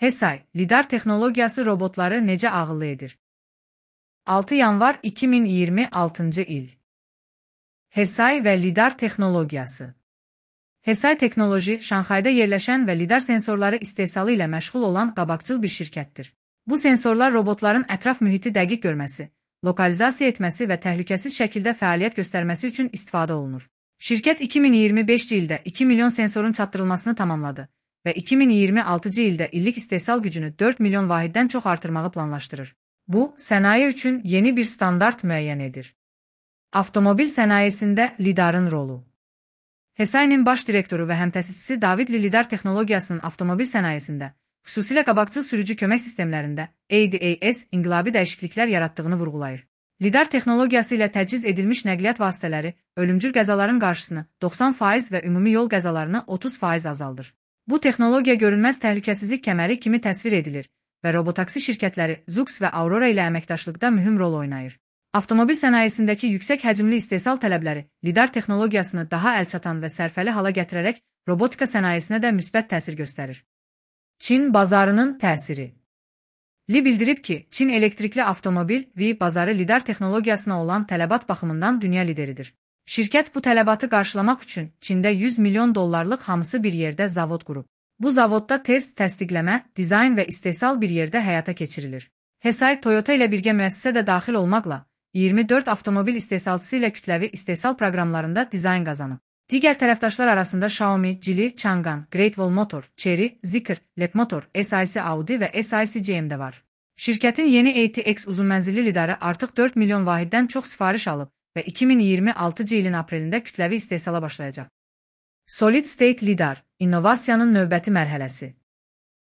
Hesay, lidar texnologiyası robotları necə ağıllı edir? 6 yanvar 2026 il. Hesay və lidar texnologiyası. Hesay Teknoloji, Şanxayda yerləşən və lidar sensorları istehsalı ilə məşğul olan qabaqcıl bir şirkətdir. Bu sensorlar robotların ətraf mühiti dəqiq görməsi, lokalizasiya etməsi və təhlükəsiz şəkildə fəaliyyət göstərməsi üçün istifadə olunur. Şirkət 2025-ci ildə 2 milyon sensorun çatdırılmasını tamamladı və 2026-cı ildə illik istehsal gücünü 4 milyon vahiddən çox artırmağı planlaşdırır. Bu, sənaye üçün yeni bir standart müəyyən edir. Avtomobil sənayesində lidarın rolu. Hesay'nin baş direktoru və həmtəsisçisi David Li lidar texnologiyasının avtomobil sənayesində, xüsusilə qabaqcıl sürücü kömək sistemlərində ADAS inqilabi dəyişikliklər yaratdığını vurğulayır. Lidar texnologiyası ilə təchiz edilmiş nəqliyyat vasitələri ölümcül qəzaların qarşısını 90% və ümumi yol qəzalarını 30% azaldır. Bu texnologiya görünməz təhlükəsizlik kəməri kimi təsvir edilir və robotaksi şirkətləri Zoox və Aurora ilə əməkdaşlıqda mühüm rol oynayır. Avtomobil sənayesindəki yüksək həcmli istehsal tələbləri lidar texnologiyasını daha əlçatan və sərfəli hala gətirərək robotika sənayesinə də müsbət təsir göstərir. Çin bazarının təsiri. Li bildirib ki, Çin elektrikli avtomobil bazarı lidar texnologiyasına olan tələbat baxımından dünya lideridir. Şirkət bu tələbatı qarşılamaq üçün Çində 100 milyon dollarlıq hamısı bir yerdə zavod qurub. Bu zavodda test, təsdiqləmə, dizayn və istehsal bir yerdə həyata keçirilir. Hesay, Toyota ilə birgə müəssisə də daxil olmaqla 24 avtomobil istehsalçısı ilə kütləvi istehsal proqramlarında dizayn qazanıb. Digər tərəfdaşlar arasında Xiaomi, Geely, Changan, Great Wall Motor, Chery, Zeekr, Leapmotor, SAIC Audi və SAIC GM də var. Şirkətin yeni ATX uzunmənzilli lidarı artıq 4 milyon vahiddən çox sifariş alıb və 2026-cı ilin aprelində kütləvi istehsala başlayacaq. Solid State Lidar, innovasiyanın növbəti mərhələsi.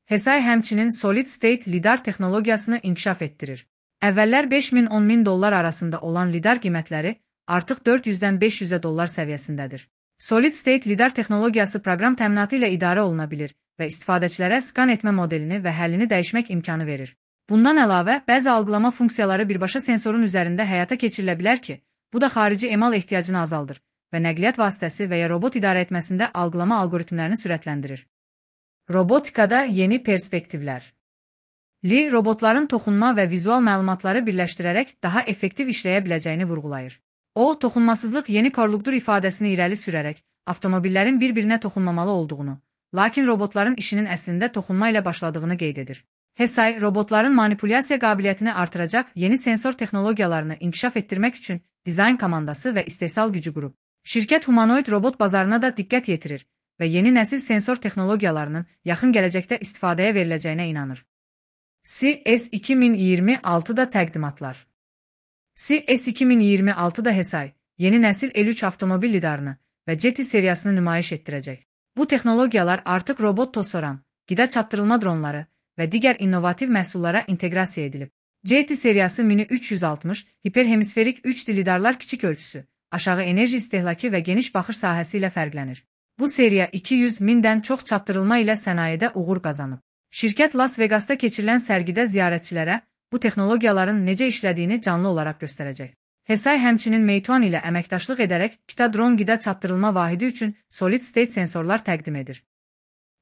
Hesay həmçinin Solid State Lidar texnologiyasını inkişaf etdirir. Əvvəllər 5.000-10 min dollar arasında olan lidar qiymətləri artıq 400-dən 500'ə dollar səviyyəsindədir. Solid State lidar texnologiyası proqram təminatı ilə idarə oluna bilir və istifadəçilərə skan etmə modelini və həllini dəyişmək imkanı verir. Bundan əlavə, bəzi algılama funksiyaları birbaşa sensorun üzərində həyata keçirilə bilər ki, bu da xarici emal ehtiyacını azaldır və nəqliyyat vasitəsi və ya robot idarə etməsində algılama algoritmlərini sürətləndirir. Robotikada yeni perspektivlər. Li, robotların toxunma və vizual məlumatları birləşdirərək daha effektiv işləyə biləcəyini vurğulayır. O, toxunmasızlıq yeni korluqdur ifadəsini irəli sürərək, avtomobillərin bir-birinə toxunmamalı olduğunu, lakin robotların işinin əslində toxunma ilə başladığını qeyd edir. Hesay, robotların manipulyasiya qabiliyyətini artıracaq yeni sensor texnologiyalarını inkişaf etdirmək üçün dizayn komandası və istehsal gücü qurub. Şirkət humanoid robot bazarına da diqqət yetirir və yeni nəsil sensor texnologiyalarının yaxın gələcəkdə istifadəyə veriləcəyinə inanır. CES 2026-da təqdimatlar. CES 2026-da Hesay, yeni nəsil L3 avtomobil lidarını və GT seriyasını nümayiş etdirəcək. Bu texnologiyalar artıq robot tosoran, qida çatdırılma dronları və digər innovativ məhsullara inteqrasiya edilib. GT seriyası Mini 360, hiperhemisferik 3D lidarlar kiçik ölçüsü, aşağı enerji istehlakı və geniş baxış sahəsi ilə fərqlənir. Bu seriya 200 mindən çox çatdırılma ilə sənayedə uğur qazanıb. Şirkət Las Vegasda keçirilən sərgidə ziyarətçilərə bu texnologiyaların necə işlədiyini canlı olaraq göstərəcək. Hesay həmçinin Meituan ilə əməkdaşlıq edərək Kita dron qida çatdırılma vahidi üçün Solid State sensorlar təqdim edir.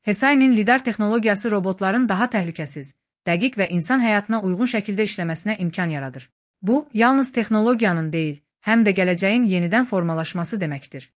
Hesay'nin lidar texnologiyası robotların daha təhlükəsiz, dəqiq və insan həyatına uyğun şəkildə işləməsinə imkan yaradır. Bu, yalnız texnologiyanın deyil, həm də gələcəyin yenidən formalaşması deməkdir.